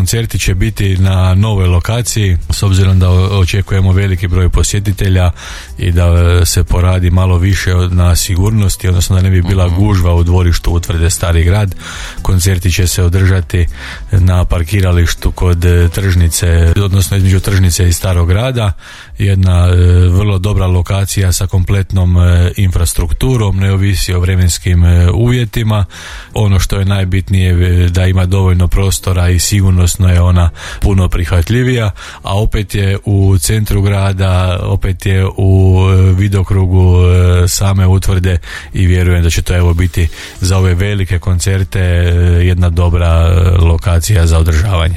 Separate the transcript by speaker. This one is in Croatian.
Speaker 1: koncerti će biti na novoj lokaciji, s obzirom da očekujemo veliki broj posjetitelja i da se poradi malo više na sigurnosti, odnosno da ne bi bila gužva u dvorištu Utvrde Stari Grad. Koncerti će se održati na parkiralištu kod tržnice, odnosno između tržnice i Starog Grada. Jedna vrlo dobra lokacija sa kompletnom infrastrukturom, ne ovisi o vremenskim uvjetima. Ono što je najbitnije da ima dovoljno prostora i sigurnosno je ona puno prihvatljivija, a opet je u centru grada, opet je u vidokrugu same Utvrde i vjerujem da će to evo biti za ove velike koncerte jedna dobra lokacija za održavanje.